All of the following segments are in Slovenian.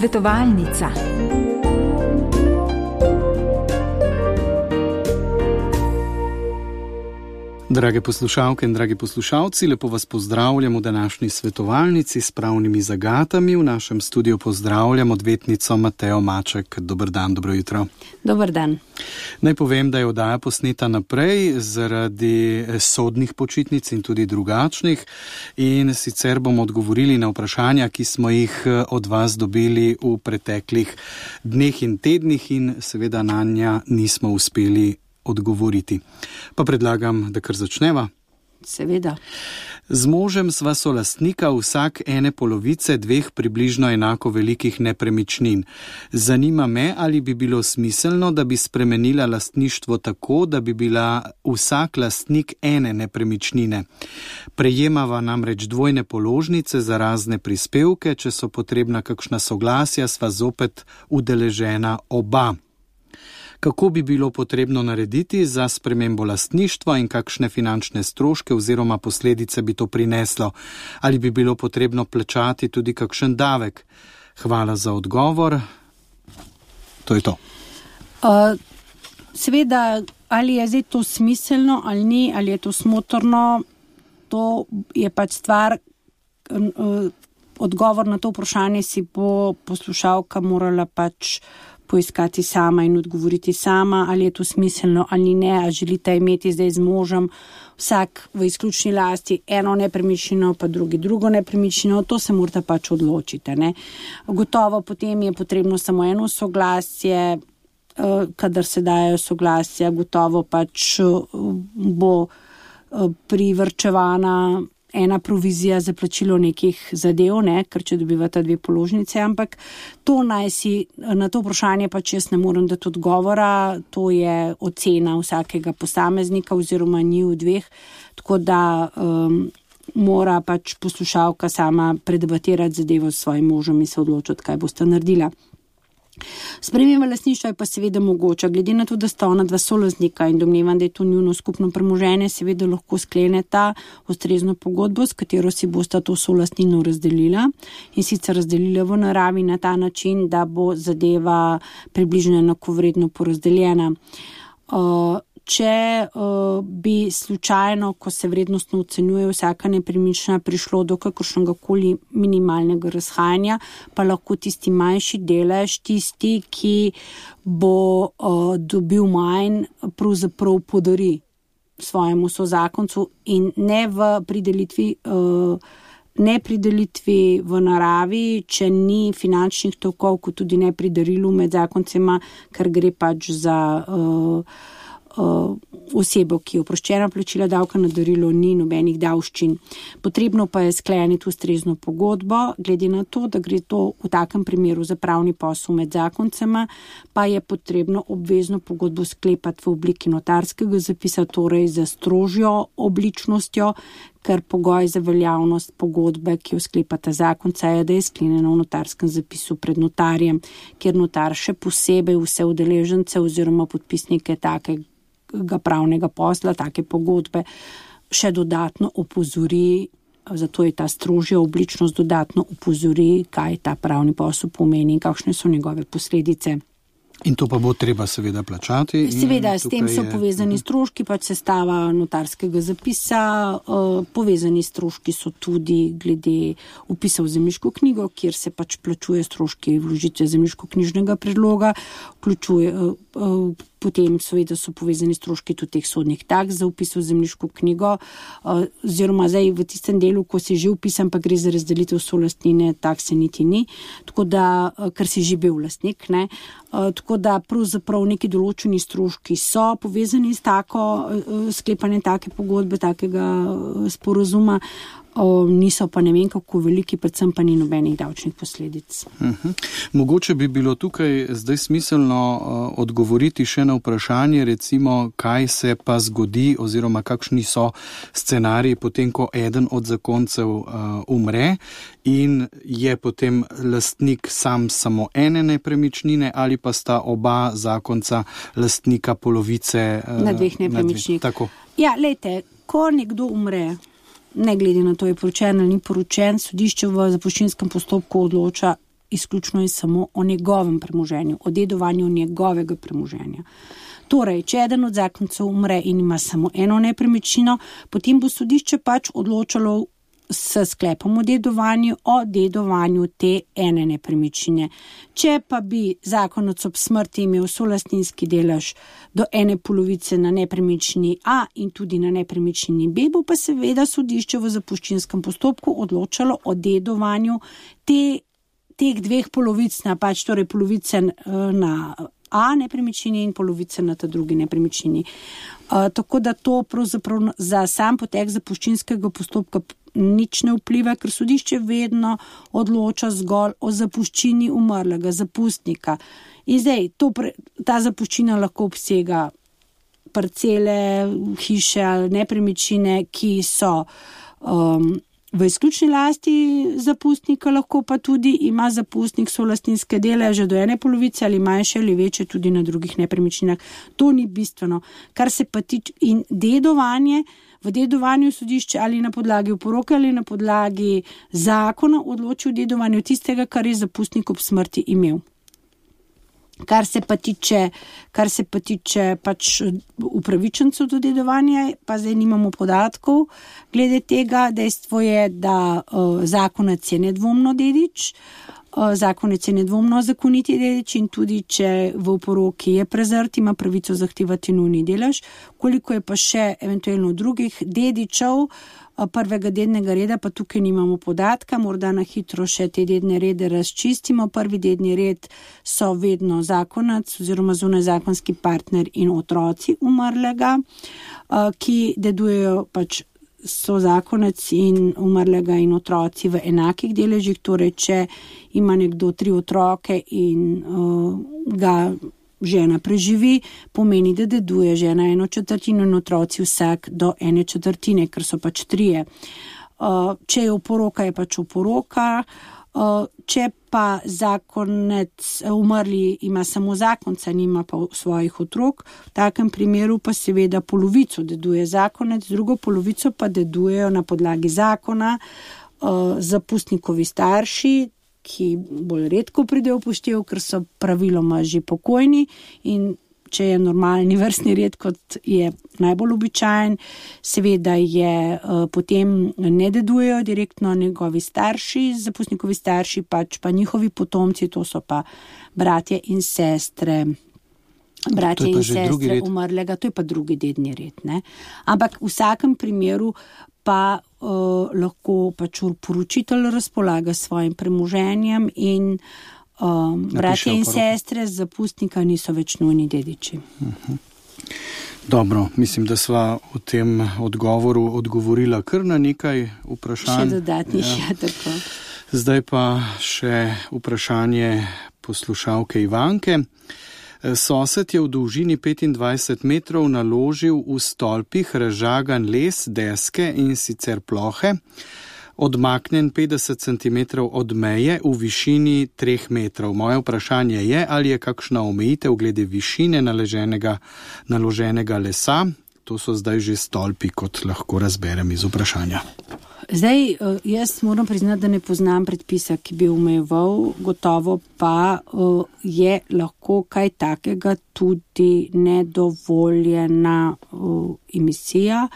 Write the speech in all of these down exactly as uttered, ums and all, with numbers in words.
Svetovalnica. Drage poslušalke in dragi poslušalci, lepo vas pozdravljam v današnji svetovalnici s pravnimi zagatami. V našem studiu pozdravljam odvetnico Matejo Maček. Dober dan, dobro jutro. Dober dan. Naj povem, da je oddaja posneta naprej zaradi sodnih počitnic in tudi drugačnih, in sicer bomo odgovorili na vprašanja, ki smo jih od vas dobili v preteklih dneh in tednih in seveda na nja nismo uspeli odgovoriti. Pa predlagam, da kar začneva. Seveda. Z možem sva solastnika vsak ene polovice dveh približno enako velikih nepremičnin. Zanima me, ali bi bilo smiselno, da bi spremenila lastništvo tako, da bi bila vsak lastnik ene nepremičnine. Prejemava namreč dvojne položnice za razne prispevke, če so potrebna kakšna soglasja, sva zopet udeležena oba. Kako bi bilo potrebno narediti za spremembo lastništva in kakšne finančne stroške oziroma posledice bi to prineslo? Ali bi bilo potrebno plačati tudi kakšen davek? Hvala za odgovor. To je to. Uh, seveda, ali je zdaj to smiselno ali ni, ali je to smotrno, to je pač stvar, uh, odgovor na to vprašanje si bo poslušalka morala pač poiskati sama in odgovoriti sama, ali je to smiselno ali ne, a želite imeti zdaj z možem vsak v izključni lasti eno nepremičnino, pa drugi drugo nepremičnino, to se morate pač odločiti. Ne? Gotovo potem je potrebno samo eno soglasje, kadar se dajo soglasja, gotovo pač bo privrčevana ena provizija za plačilo nekih zadev, ne, ker če dobivata dve položnice, ampak to naj si, na to vprašanje pač jaz ne morem dati odgovora, to je ocena vsakega posameznika oziroma njiju dveh, tako da um, mora pač poslušalka sama predebatirati zadevo s svojim možem in se odločiti, kaj boste naredila. Sprememba lastništva je pa seveda mogoča, glede na to, da sta ona dva solastnika in domnevam, da je to njuno skupno premoženje, seveda lahko skleneta ustrezno pogodbo, s katero si bosta to solastnino razdelila in sicer razdelila v naravi na ta način, da bo zadeva približno enakovredno porazdeljena. Uh, Če uh, bi slučajno, ko se vrednostno ocenjuje vsaka nepremičnina, prišlo do kakršnega koli minimalnega razhajanja, pa lahko tisti manjši delež, tisti, ki bo uh, dobil manj, pravzaprav podari svojemu sozakoncu in ne v pridelitvi, uh, ne pridelitvi v naravi, če ni finančnih tokov, kot tudi ne pri darilu med zakoncema, ker gre pač za uh, osebo, ki je oproščena plačila davka na darilo, ni nobenih davščin. Potrebno pa je skleniti ustrezno pogodbo, glede na to, da gre to v takem primeru za pravni posel med zakoncema, pa je potrebno obvezno pogodbo sklepati v obliki notarskega zapisa, torej za strožjo obličnostjo, ker pogoj za veljavnost pogodbe, ki jo sklepata zakonca, je, da je sklenjena v notarskem zapisu pred notarjem, kjer notar še posebej vse udeležence oziroma podpisnike takega pravnega posla, take pogodbe, še dodatno opozori, zato je ta strožja obličnost, dodatno opozori, kaj ta pravni posel pomeni in kakšne so njegove posledice. In to pa bo treba seveda plačati. Seveda, s tem so je... povezani stroški, pač sestava notarskega zapisa, uh, povezani stroški so tudi glede vpisa v zemljiško knjigo, kjer se pač plačuje stroški vložitve zemljiško-knjižnega predloga, vključuje uh, uh, potem seveda so povezani stroški tudi teh sodnih taks za vpis v zemljiško knjigo, oziroma zdaj v tistem delu, ko si že vpisan, pa gre za razdelitev solastnine, takse niti ni, tako da, ker si že bil lastnik, ne, tako da pravzaprav neki določeni stroški so povezani s tako sklepanjem take pogodbe, takega sporazuma, O, niso pa ne vem kako veliki, predvsem pa ni nobenih davčnih posledic. Uh-huh. Mogoče bi bilo tukaj zdaj smiselno uh, odgovoriti še na vprašanje, recimo, kaj se pa zgodi oziroma kakšni so scenariji potem, ko eden od zakoncev uh, umre in je potem lastnik sam samo ene nepremičnine ali pa sta oba zakonca lastnika polovice uh, na dveh nepremičnih. Tako. Ja, lejte, ko nekdo umre, ne glede na to, je poročen ali ni poročen, sodišče v zapuščinskem postopku odloča izključno in samo o njegovem premoženju, o dedovanju njegovega premoženja. Torej, če eden od zakoncev umre in ima samo eno nepremičnino, potem bo sodišče pač odločalo s sklepom o dedovanju, o dedovanju te ene nepremičnine. Če pa bi zakonec ob smrti imel solastninski delež do ene polovice na nepremičnini A in tudi na nepremičnini B, bo pa seveda sodišče v zapuščinskem postopku odločalo o dedovanju te, teh dveh polovic, na pač torej polovice na A nepremičnini in polovice na ta drugi nepremičnini. Uh, tako da to pravzaprav za sam potek zapuščinskega postopka nič ne vpliva, ker sodišče vedno odloča zgolj o zapuščini umrlega zapustnika. In zdaj, to pre, ta zapuščina lahko obsega parcele, hiše ali nepremičnine, ki so um, v izključni lasti zapustnika, lahko pa tudi ima zapustnik solastninske deleže do ene polovice ali manjše ali večje tudi na drugih nepremičninah. To ni bistveno. Kar se pa tiče in dedovanje, v dedovanju sodišče ali na podlagi oporoke ali na podlagi zakona odloči o dedovanju tistega, kar je zapustnik ob smrti imel. Kar se pa tiče, kar se pa tiče pač upravičencev do dedovanja, pa zdaj nimamo podatkov. Glede tega dejstvo je, da uh, zakonec je nedvomno dedič, uh, zakonec je nedvomno zakoniti dedič in tudi, če v oporoki je prezrt, ima pravico zahtevati nujni delež. Koliko je pa še eventualno drugih dedičev prvega dednega reda, pa tukaj nimamo podatka, morda na hitro še te dedne rede razčistimo. Prvi dedni red so vedno zakonec oziroma zunajzakonski partner in otroci umrlega, ki dedujejo pač so zakonec in umrlega in otroci v enakih deležih, torej če ima nekdo tri otroke in uh, ga žena preživi, pomeni, da deduje žena eno četrtino in otroci vsak do ene četrtine, ker so pač trije. Uh, če je oporoka, je pač oporoka. Uh, če pa zakonec umrli ima samo zakonca, nima pa svojih otrok, v takem primeru pa seveda polovico deduje zakonec, drugo polovico pa dedujejo na podlagi zakona uh, zapustnikovi starši, ki bolj redko pridejo v poštev, ker so praviloma že pokojni in če je normalni vrstni red, kot je najbolj običajen, seveda je uh, potem ne dedujejo direktno njegovi starši, zapustnikovi starši, pač pa njihovi potomci, to so pa bratje in sestre. Bratje in sestre umrlega, to je pa drugi dedni red. Ne? Ampak v vsakem primeru pa uh, lahko pač poročitelj razpolaga s svojim premoženjem in um, bratje in sestre z zapustnika niso več nujni dediči. Uh-huh. Dobro, mislim, da sva v tem odgovoru odgovorila kar na nekaj vprašanj. Še dodatnih, ja. Ja, tako. Zdaj pa še vprašanje poslušalke Ivanke. Sosed je v dolžini petindvajset metrov naložil v stolpih razžagan les, deske in sicer plohe, odmaknen petdeset centimetrov od meje v višini treh metrov. Moje vprašanje je, ali je kakšna omejitev glede višine naloženega, naloženega lesa. To so zdaj že stolpi, kot lahko razberem iz vprašanja. Zdaj, jaz moram priznati, da ne poznam predpisa, ki bi omejeval, gotovo pa je lahko kaj takega tudi nedovoljena emisija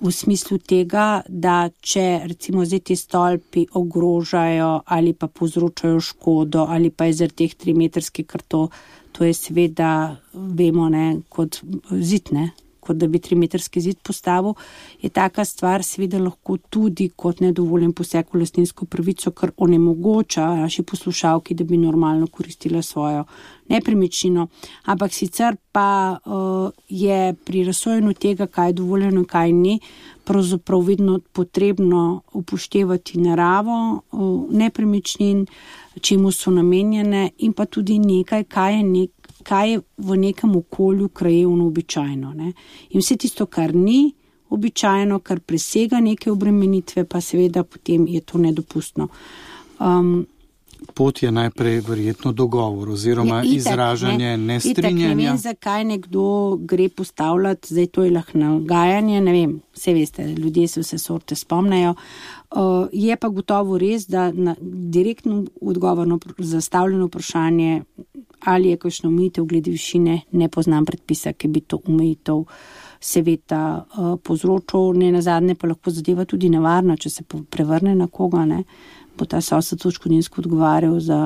v smislu tega, da če recimo zdaj ti stolpi ogrožajo ali pa povzročajo škodo ali pa je zaradi teh trimetrskih, ker to, to je seveda, vemo, ne, kot zid, ne, kot da bi trimetrski zid postavil, je taka stvar seveda lahko tudi kot nedovoljen poseg v lastninsko pravico, kar onemogoča naši poslušalki, da bi normalno koristila svojo nepremičnino. Ampak sicer pa uh, je pri razsojanju tega, kaj je dovoljeno in kaj ni, pravzaprav vedno potrebno upoštevati naravo uh, nepremičnin, čemu so namenjene in pa tudi nekaj, kaj je nek kaj je v nekem okolju krajevno običajno. Ne? In vse tisto, kar ni običajno, kar presega neke obremenitve, pa seveda potem je to nedopustno. Um, Pot je najprej verjetno dogovor oziroma je, itak, izražanje ne, nestrinjanja. Itak ne vem, zakaj nekdo gre postavljati, zdaj to je lahko nagajanje, ne vem, vse veste, ljudje se vse sorte spomnejo. Uh, je pa gotovo res, da na, direktno odgovor na zastavljeno vprašanje, ali je kakšna omejitev glede višine, ne poznam predpisa, ki bi to omejitev seveda uh, povzročil. Ne nazadnje pa lahko zadeva tudi nevarna, če se prevrne na koga, ne, bo ta sosed odškodninsko odgovarjal za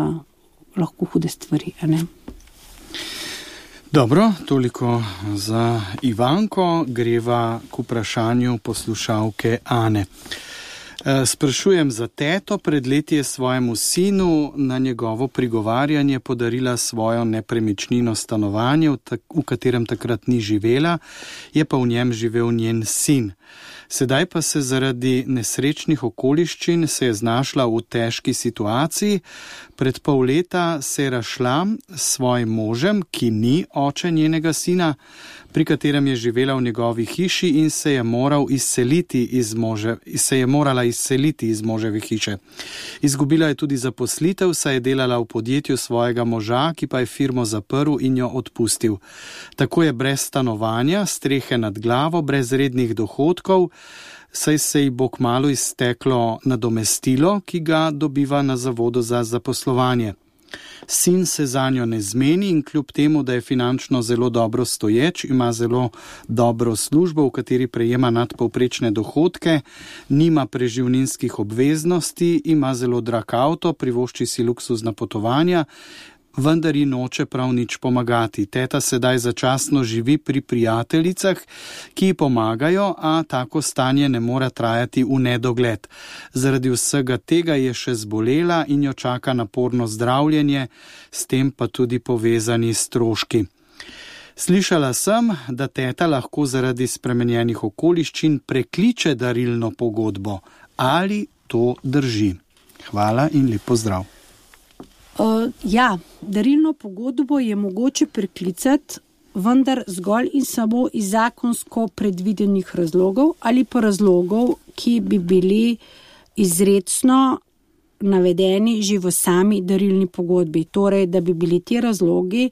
lahko hude stvari, a ne. Dobro, toliko za Ivanko, greva k vprašanju poslušalke Ane. Sprašujem za teto, pred leti je svojemu sinu na njegovo prigovarjanje podarila svojo nepremičnino stanovanje, v katerem takrat ni živela, je pa v njem živel njen sin. Sedaj pa se zaradi nesrečnih okoliščin se je znašla v težki situaciji. Pred pol leta se je razšla s svojim možem, ki ni oče njenega sina, pri katerem je živela v njegovi hiši in se je moral izseliti iz može, se je morala izseliti iz moževe hiše. Izgubila je tudi zaposlitev, saj je delala v podjetju svojega moža, ki pa je firmo zaprl in jo odpustil. Tako je brez stanovanja, strehe nad glavo, brez rednih dohodkov, saj se ji bo kmalu izteklo nadomestilo, ki ga dobiva na zavodu za zaposlovanje. Sin se zanjo ne zmeni in kljub temu, da je finančno zelo dobro stoječ, ima zelo dobro službo, v kateri prejema nadpovprečne dohodke, nima preživninskih obveznosti, ima zelo drag avto, privošči si luksuzna potovanja, vendar ji noče prav nič pomagati. Teta sedaj začasno živi pri prijateljicah, ki ji pomagajo, a tako stanje ne mora trajati v nedogled. Zaradi vsega tega je še zbolela in jo čaka naporno zdravljenje, s tem pa tudi povezani stroški. Slišala sem, da teta lahko zaradi spremenjenih okoliščin prekliče darilno pogodbo. Ali to drži? Hvala in lep pozdrav. Uh, ja, darilno pogodbo je mogoče preklicati, vendar zgolj in samo iz zakonsko predvidenih razlogov ali pa razlogov, ki bi bili izrecno navedeni že v sami darilni pogodbi. Torej, da bi bili ti razlogi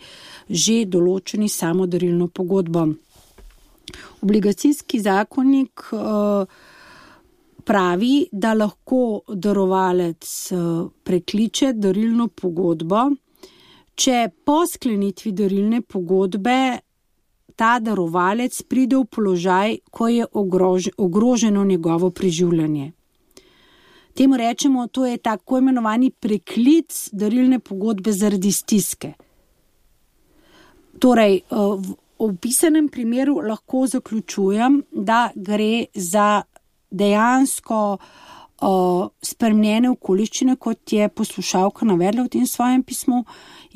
že določeni samo darilno pogodbo. Obligacijski zakonik uh, pravi, da lahko darovalec prekliče darilno pogodbo, če po sklenitvi darilne pogodbe ta darovalec pride v položaj, ko je ogroženo njegovo preživljanje. Temu rečemo, to je tako imenovani preklic darilne pogodbe zaradi stiske. Torej, v opisanem primeru lahko zaključujem, da gre za dejansko uh, spremenjene okoliščine, kot je poslušalka navedla v tem svojem pismu,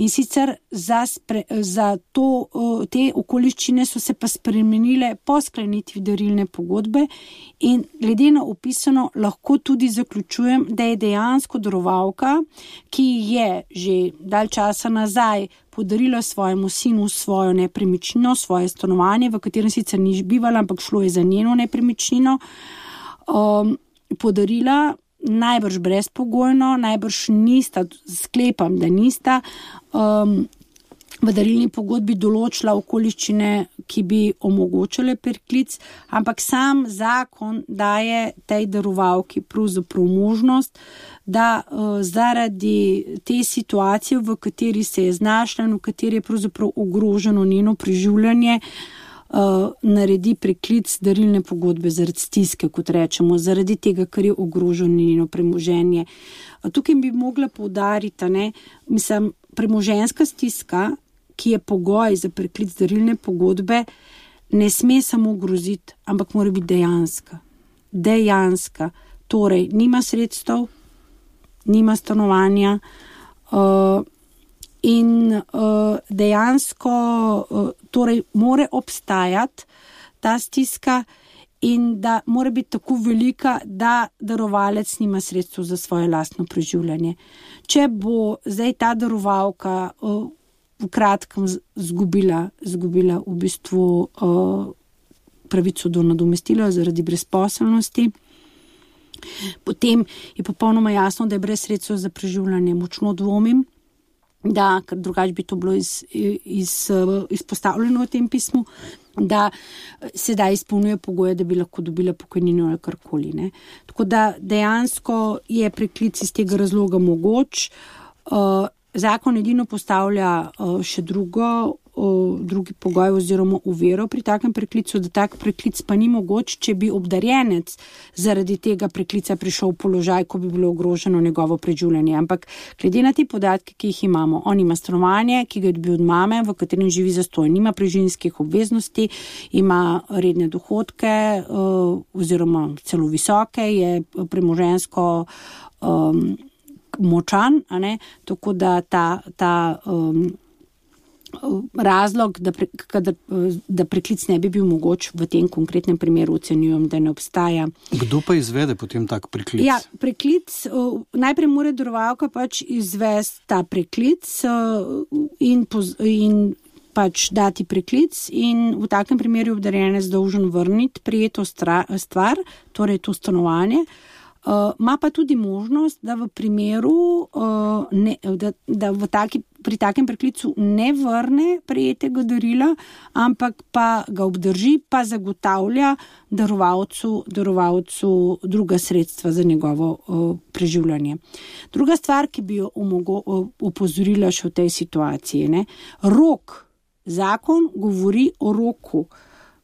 in sicer za, spre, za to, uh, te okoliščine so se pa spremenile po sklenitvi darilne pogodbe in glede na opisano lahko tudi zaključujem, da je dejansko darovalka, ki je že dalj časa nazaj podarila svojemu sinu svojo nepremičnino, svoje stanovanje, v katerem sicer ni bivala, ampak šlo je za njeno nepremičnino, Um, podarila najbrž brezpogojno, najbrž nista, sklepam, da nista um, v darilni pogodbi določila okoliščine, ki bi omogočale preklic, ampak sam zakon daje tej darovalki pravzaprav možnost, da uh, zaradi te situacije, v kateri se je znašla in v kateri je pravzaprav ogroženo njeno preživljanje, Uh, naredi preklic darilne pogodbe zaradi stiske, kot rečemo, zaradi tega, ker je ogroženo njeno premoženje. Uh, tukaj bi mogla poudariti, ne, mislim, premoženjska stiska, ki je pogoj za preklic darilne pogodbe, ne sme samo groziti, ampak mora biti dejanska. Dejanska. Torej, nima sredstev, nima stanovanja, uh, in uh, dejansko uh, torej more obstajati ta stiska in da mora biti tako velika, da darovalec nima sredstev za svoje lastno preživljanje. Če bo zdaj ta darovalka uh, v kratkem zgubila, zgubila v bistvu uh, pravico do nadomestila zaradi brezposelnosti, potem je popolnoma jasno, da je brez sredstev za preživljanje. Močno dvomim, da, ker drugače bi to bilo iz, iz, izpostavljeno v tem pismu, da sedaj izpolnjuje pogoje, da bi lahko dobila pokojnino ali karkoli. Ne. Tako da dejansko je preklic iz tega razloga mogoč. Uh, zakon edino postavlja uh, še drugo, uh, drugi pogoj oziroma uvero pri takem preklicu, da tak preklic pa ni mogoč, če bi obdarjenec zaradi tega preklica prišel v položaj, ko bi bilo ogroženo njegovo preživljanje. Ampak glede na te podatke, ki jih imamo, on ima stanovanje, ki ga je dobil od mame, v katerem živi zastonj, nima preživljinskih obveznosti, ima redne dohodke uh, oziroma celo visoke, je premoženjsko um, močan, a ne, tako da ta, ta um, razlog, da, pre, kada, da preklic ne bi bil mogoč v tem konkretnem primeru ocenjujem, da ne obstaja. Kdo pa izvede potem tak preklic? Ja, preklic, uh, najprej mora darovalka pač izvesti ta preklic uh, in, poz, in pač dati preklic in v takem primeru obdarjenec dolžen vrniti prijeto stra, stvar, torej to stanovanje. Uh, ma pa tudi možnost, da v primeru, uh, ne, da, da v taki, pri takem preklicu ne vrne prejetega darila, ampak pa ga obdrži, pa zagotavlja darovalcu, darovalcu druga sredstva za njegovo uh, preživljanje. Druga stvar, ki bi jo omogo, uh, upozorila še v tej situaciji, ne, rok, zakon govori o roku.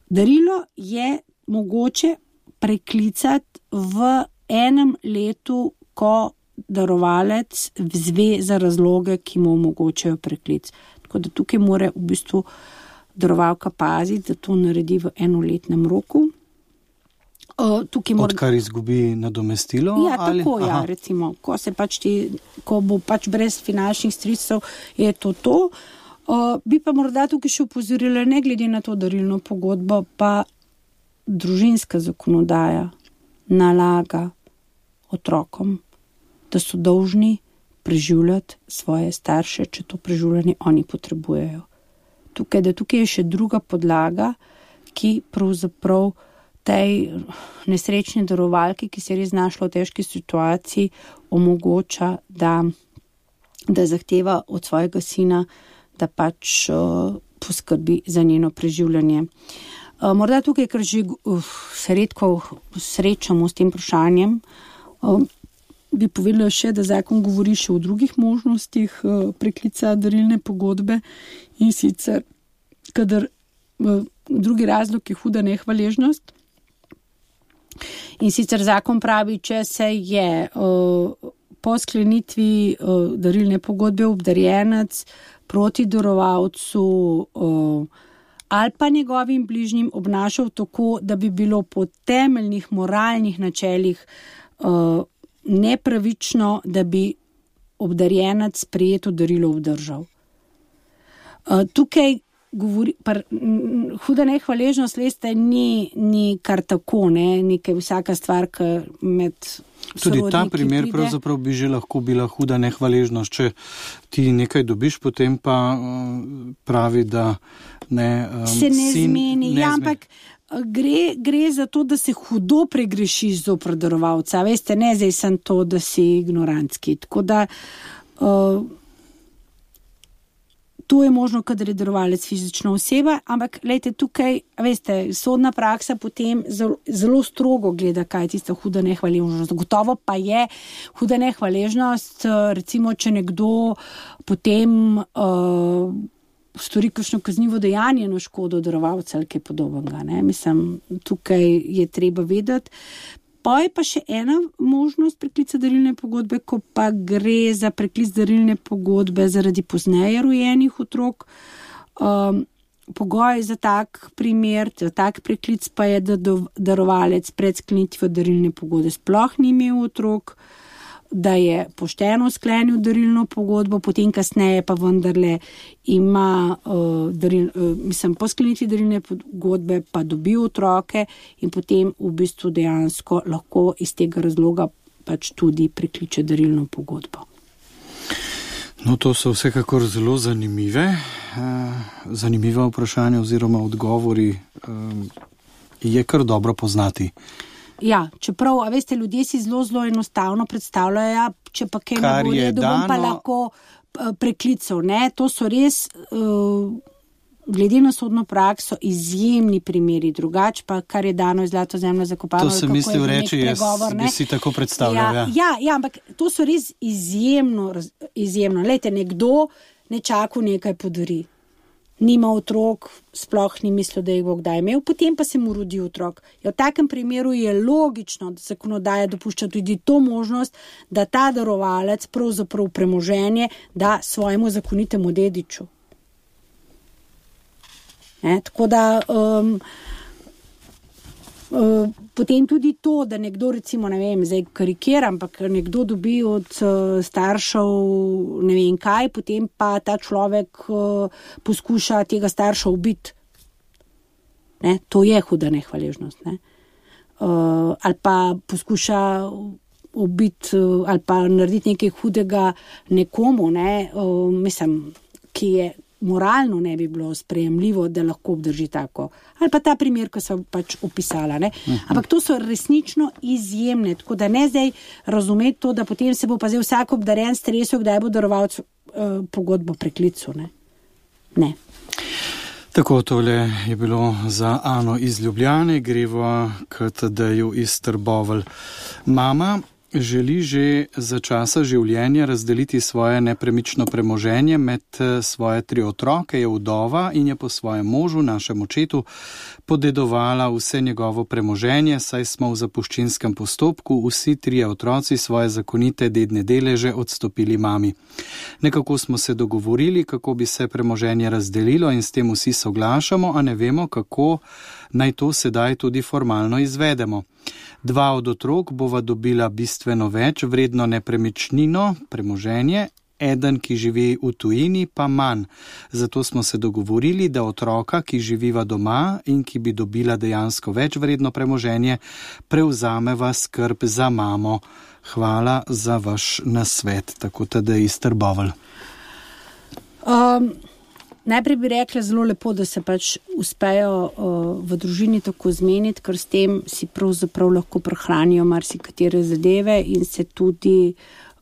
Darilo je mogoče preklicati v enem letu, ko darovalec zve za razloge, ki mu omogočajo preklic. Tako da tukaj mora v bistvu darovalka paziti, da to naredi v enoletnem roku. Uh, mora... Odkar izgubi nadomestilo? Ja, ali? tako, ja, recimo. Ko, se pač ti, ko bo pač brez finančnih sredstev, je to to. Uh, bi pa morda tukaj še upozorila, ne glede na to darilno pogodbo, pa družinska zakonodaja nalaga otrokom, da so dolžni preživljati svoje starše, če to preživljanje oni potrebujejo. Tukaj, da tukaj je še druga podlaga, ki pravzaprav tej nesrečni darovalki, ki se je res znašla v težki situaciji, omogoča, da, da zahteva od svojega sina, da pač uh, poskrbi za njeno preživljanje. Uh, morda tukaj, ker že uh, se redko srečamo s tem vprašanjem, uh, bi povedala še, da zakon govori še o drugih možnostih uh, preklica darilne pogodbe in sicer, kadar uh, drugi razlog je huda nehvaležnost. In sicer zakon pravi, če se je uh, po sklenitvi uh, darilne pogodbe obdarjenec proti darovalcu uh, ali pa njegovim bližnjim obnašal tako, da bi bilo po temeljnih moralnih načelih uh, nepravično, da bi obdarjenec prijeto darilo obdržal. Uh, tukaj govori, par, m, huda nehvaležnost, veste, ni, ni kar tako, ne, nekaj vsaka stvar, ki med tudi ta primer pride. Pravzaprav bi že lahko bila huda nehvaležnost, če ti nekaj dobiš, potem pa uh, pravi, da ne, um, se ne sin, zmeni, ne ja, ampak gre, gre za to, da se hudo pregrešiš zoper darovalca, veste, ne zdaj sem to, da si ignorantski, tako da uh, to je možno, kadar je darovalec fizična oseba, ampak lejte tukaj, veste, sodna praksa potem zelo, zelo strogo gleda, kaj je tista huda nehvaležnost. Gotovo pa je huda nehvaležnost, recimo, če nekdo potem uh, stori kakšno kaznivo dejanje na škodo darovalca ali kaj podobnega. Ne? Mislim, tukaj je treba vedeti. Pa je pa še ena možnost preklica darilne pogodbe, ko pa gre za preklic darilne pogodbe zaradi pozneje rojenih otrok. Um, pogoj za tak primer, za tak preklic pa je, da darovalec pred sklenitvijo darilne pogodbe sploh ni imel otrok, da je pošteno sklenil darilno pogodbo, potem kasneje pa vendarle ima, uh, daril, uh, mislim, po sklenitvi darilne pogodbe pa dobi otroke in potem v bistvu dejansko lahko iz tega razloga pač tudi prekliče darilno pogodbo. No, to so vsekakor zelo zanimive, uh, zanimive vprašanja oziroma odgovori. Uh, je kar dobro poznati. Ja, čeprav, a veste, ljudje si zelo, zelo enostavno predstavljajo, ja, če pa kaj ne bo redu, bom pa lahko preklical, ne, to so res uh, glede na sodno prakso izjemni primeri, drugače pa kar je dano iz zlato zemljo zakopano. To sem mislil reči, jaz bi si tako predstavljal. Ja, ja, ja, ampak to so res izjemno, izjemno. Lejte, nekdo nečaku nekaj podari. Nima otrok, sploh ni mislil, da jih bo kdaj imel, potem pa se mu rodi otrok. Ja, v takem primeru je logično, da zakonodaja dopušča tudi to možnost, da ta darovalec pravzaprav premoženje da svojemu zakonitemu dediču. Ne, tako da um, uh, potem tudi to, da nekdo recimo, ne vem, zdaj karikiram, ampak nekdo dobi od uh, staršev ne vem kaj, potem pa ta človek uh, poskuša tega starša ubiti. Ne, to je huda nehvaležnost. Ne? Uh, ali pa poskuša ubiti uh, ali pa narediti nekaj hudega nekomu, ne? uh, mislim, ki je moralno ne bi bilo sprejemljivo, da lahko obdrži tako. Ali pa ta primer, ko sem pač opisala. Ne? Ampak to so resnično izjemne, tako da ne zdaj razumeti to, da potem se bo pa zdaj vsak obdaren stresel, kdaj bo darovalec uh, pogodbo preklical. Ne. ne. Tako, tole je bilo za Ano iz Ljubljane, greva k Tadeju iz Trbovelj. Mama želi že za časa življenja razdeliti svoje nepremično premoženje med svoje tri otroke, je vdova in je po svojem možu, našem očetu, podedovala vse njegovo premoženje, saj smo v zapuščinskem postopku vsi trije otroci svoje zakonite dedne deleže odstopili mami. Nekako smo se dogovorili, kako bi se premoženje razdelilo in s tem vsi soglašamo, a ne vemo, kako naj to sedaj tudi formalno izvedemo. Dva od otrok bova dobila bistveno več vredno nepremičnino, premoženje, eden, ki živi v tujini, pa manj. Zato smo se dogovorili, da otroka, ki živiva doma in ki bi dobila dejansko več vredno premoženje, prevzameva skrb za mamo. Hvala za vaš nasvet, tako da iz Trbovelj. Um... Najprej bi rekla zelo lepo, da se pač uspejo uh, v družini tako zmeniti, ker s tem si pravzaprav lahko prehranijo marsikatere zadeve in se tudi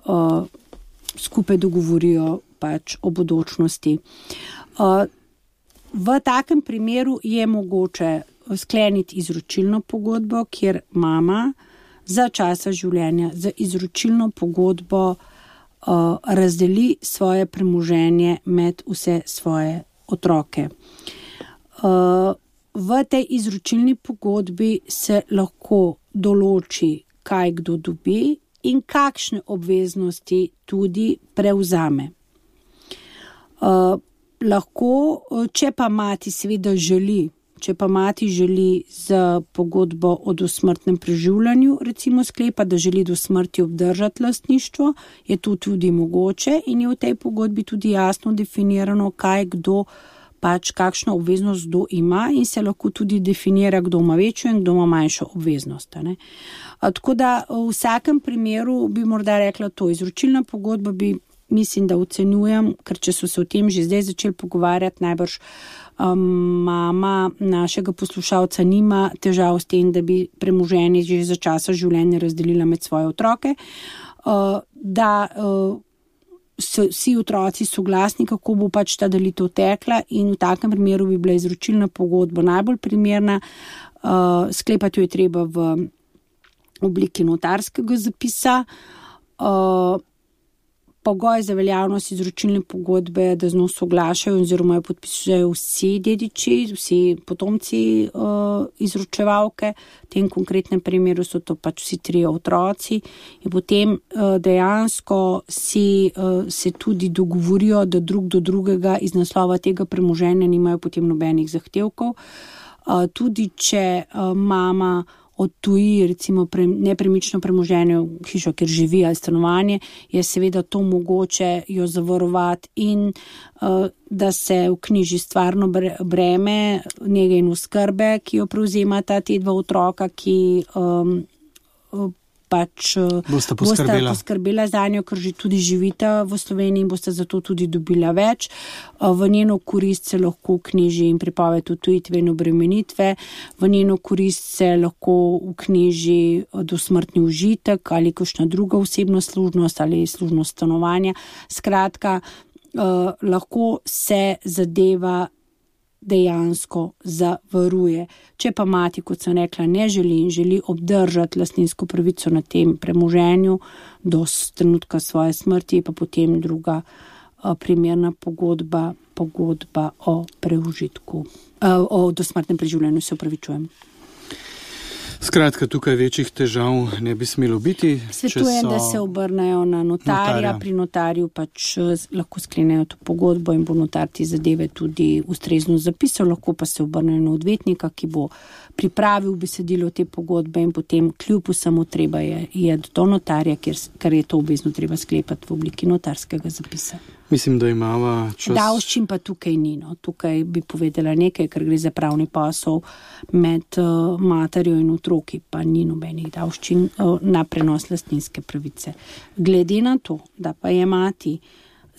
uh, skupaj dogovorijo pač o bodočnosti. Uh, v takem primeru je mogoče skleniti izročilno pogodbo, kjer mama za časa življenja za izročilno pogodbo Uh, razdeli svoje premoženje med vse svoje otroke. Uh, v tej izročilni pogodbi se lahko določi, kaj kdo dobi in kakšne obveznosti tudi prevzame. Uh, lahko, če pa mati seveda želi, Če pa mati želi z pogodbo o dosmrtnem preživljanju, recimo sklepa, da želi do smrti obdržati lastništvo, je to tudi mogoče in je v tej pogodbi tudi jasno definirano, kaj kdo pač kakšno obveznost kdo ima in se lahko tudi definira, kdo ima večjo in kdo ima manjšo obveznost. Ne? Tako da v vsakem primeru bi morda rekla to, izročilna pogodba bi, mislim, da ocenjujem, ker če so se o tem že zdaj začeli pogovarjati, najbrž Um, mama našega poslušalca nima težav s tem, da bi premoženje že za časa življenja razdelila med svoje otroke, uh, da uh, so vsi otroci soglasni, kako bo pač ta delitev tekla in v takem primeru bi bila izročilna pogodba najbolj primerna. Uh, sklepati jo je treba v obliki notarskega zapisa. Uh, Pogoj za veljavnost izročilne pogodbe, da z njo soglašajo oziroma jo podpisujejo vsi dediči, vsi potomci uh, izročevalke. V tem konkretnem primeru so to pač vsi trije otroci in potem uh, dejansko si, uh, se tudi dogovorijo, da drug do drugega iz naslova tega premoženja nimajo potem nobenih zahtevkov. Uh, tudi če uh, mama odtuji recimo pre, nepremično premoženje v hišo, kjer živi ali stanovanje, je seveda to mogoče jo zavarovati in uh, da se vknjiži stvarno breme njege in oskrbe, ki jo prevzemata te dva otroka, ki um, pač bosta poskrbela. poskrbela za njo, ker že tudi živita v Sloveniji in bosta zato tudi dobila več. V njeno korist se lahko vknjiži in prepoved odtujitve in obremenitve, v njeno korist se lahko vknjiži dosmrtni užitek ali kakšna druga osebna služnost ali služnost stanovanja. Skratka, eh, lahko se zadeva dejansko zavaruje. Če pa mati, kot sem rekla, ne želi in želi obdržati lastninsko pravico na tem premoženju do trenutka svoje smrti, pa potem druga uh, primerna pogodba, pogodba o preužitku, uh, o dosmrtnem preživljanju, se upravičujem. Skratka, tukaj večjih težav ne bi smelo biti. Svetujem, so... da se obrnejo na notarja, notarja. Pri notarju pač lahko sklenejo to pogodbo in bo notar ti zadeve tudi ustrezno zapisal, lahko pa se obrnejo na odvetnika, ki bo pripravil besedilo te pogodbe in potem kljub vsemu treba je, je do notarja, ker, ker je to obvezno treba sklepati v obliki notarskega zapisa. Mislim, da imava čas. Davščin pa tukaj ni. No. Tukaj bi povedala nekaj, ker gre za pravni posel med uh, materjo in otroki, pa ni nobenih davščin uh, na prenos lastninske pravice. Glede na to, da pa je mati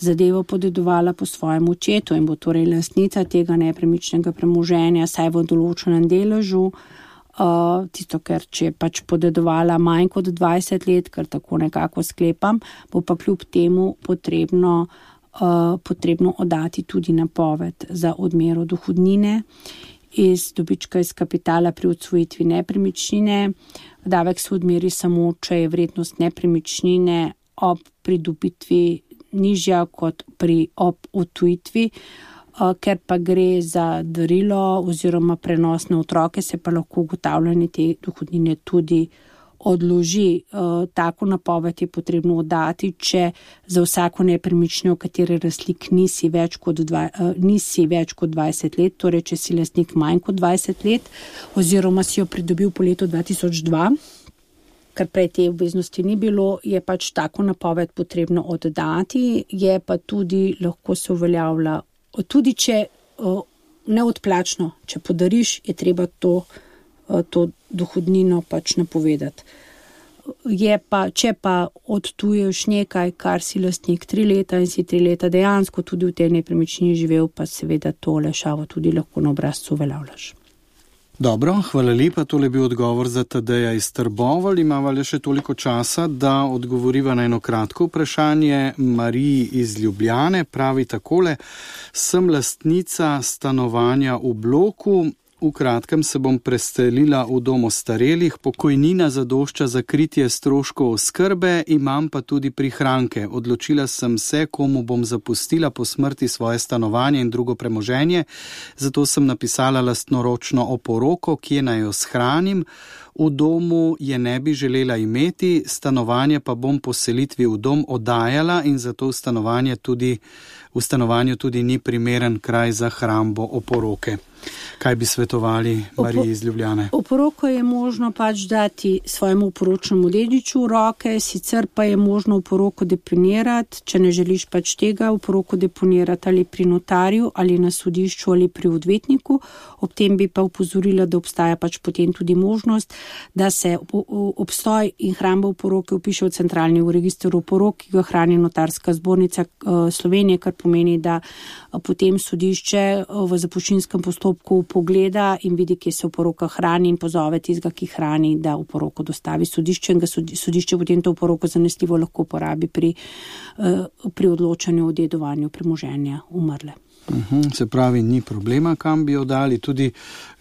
zadevo podedovala po svojem očetu in bo torej lastnica tega nepremičnega premoženja, saj v določenem deležu, uh, tisto, ker če je pač podedovala manj kot dvajset let, ker tako nekako sklepam, bo pa kljub temu potrebno Uh, potrebno oddati tudi napoved za odmero dohodnine iz dobička iz kapitala pri odsvojitvi nepremičnine. Davek se odmeri samo, če je vrednost nepremičnine ob pridobitvi nižja kot pri ob odtujitvi, uh, ker pa gre za darilo oziroma prenos na otroke, se pa lahko ugotavljanje te dohodnine tudi odloži. Uh, tako napoved je potrebno oddati, če za vsako nepremičnino, v kateri razlik nisi več kot, dva, uh, nisi več kot dvajset let, torej če si lastnik manj kot dvajset let, oziroma si jo pridobil po letu dva tisoč dva, ker prej te obveznosti ni bilo, je pač tako napoved potrebno oddati, je pa tudi lahko se uveljavlja, tudi če uh, neodplačno, če podariš, je treba to to dohodnino pač napovedati. Je pa, če pa odtuješ nekaj, kar si lastnik tri leta in si tri leta dejansko tudi v tej nepremičnini živel, pa seveda to olajšavo tudi lahko na obrazcu uveljavljaš. Dobro, hvala lepa, tole je bil odgovor za Tadeja iz Trbovelj. Imava le še toliko časa, da odgovoriva na eno kratko vprašanje. Mariji iz Ljubljane pravi takole: sem lastnica stanovanja v bloku. V kratkem se bom preselila v dom ostarelih, pokojnina zadošča za kritje stroškov oskrbe, imam pa tudi prihranke. Odločila sem se, komu bom zapustila po smrti svoje stanovanje in drugo premoženje, zato sem napisala lastnoročno oporoko, kje naj jo shranim. V domu je ne bi želela imeti, stanovanje pa bom po selitvi v dom oddajala in zato v stanovanje tudi, v stanovanju tudi ni primeren kraj za hrambo oporoke. Kaj bi svetovali Mariji iz Ljubljane? Oporoko je možno pač dati svojemu oporočnemu dediču v roke, sicer pa je možno oporoko deponirati, če ne želiš pač tega, oporoko deponirati ali pri notarju, ali na sodišču, ali pri odvetniku. Ob tem bi pa upozorila, da obstaja pač potem tudi možnost, da se obstoj in hramba oporoke vpiše v centralni register oporok, ki ga hrani notarska zbornica Slovenije, kar pomeni, da potem sodišče v zapuščinskem postopku pogleda in vidi, kje se oporoka hrani in pozove tistega, ki hrani, da oporoko dostavi sodišče in ga sodišče potem to oporoko zanesljivo lahko uporabi pri, pri odločanju o dedovanju premoženja umrle. Uhum, se pravi, ni problema, kam bi jo dali, tudi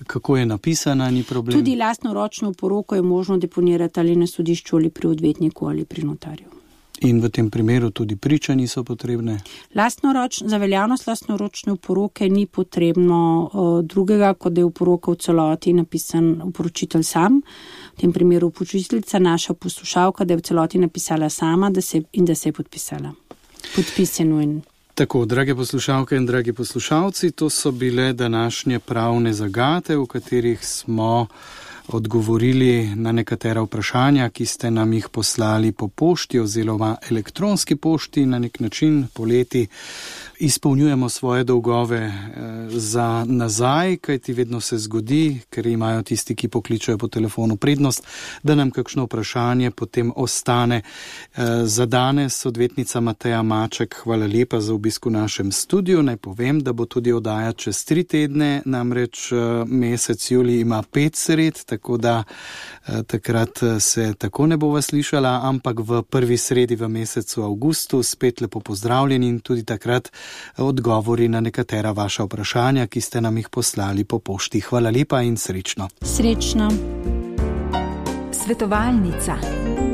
kako je napisana, ni problem. Tudi lastnoročno oporoko je možno deponirati ali na sodišču, ali pri odvetniku, ali pri notarju. In v tem primeru tudi priče niso potrebne? Lastnoroč, za veljavnost lastnoročne oporoke ni potrebno uh, drugega, kot da je oporoka v celoti napisan oporočitelj sam. V tem primeru oporočiteljica, naša poslušalka, da je v celoti napisala sama da se, in da se je podpisala. Podpis je nujen. Tako, drage poslušalke in dragi poslušalci, to so bile današnje pravne zagate, v katerih smo odgovorili na nekatera vprašanja, ki ste nam jih poslali po pošti oziroma elektronski pošti. Na nek način poleti izpolnjujemo svoje dolgove za nazaj, kajti vedno se zgodi, ker imajo tisti, ki pokličajo po telefonu prednost, da nam kakšno vprašanje potem ostane. Za danes odvetnica Mateja Maček, hvala lepa za obisk v našem studiu. Naj povem, da bo tudi oddaja čez tri tedne, namreč mesec julij ima pet sred, tako da takrat se tako ne bova slišala, ampak v prvi sredi v mesecu avgustu spet lepo pozdravljeni in tudi takrat odgovori na nekatera vaša vprašanja, ki ste nam jih poslali po pošti. Hvala lepa in srečno. Srečno. Svetovalnica.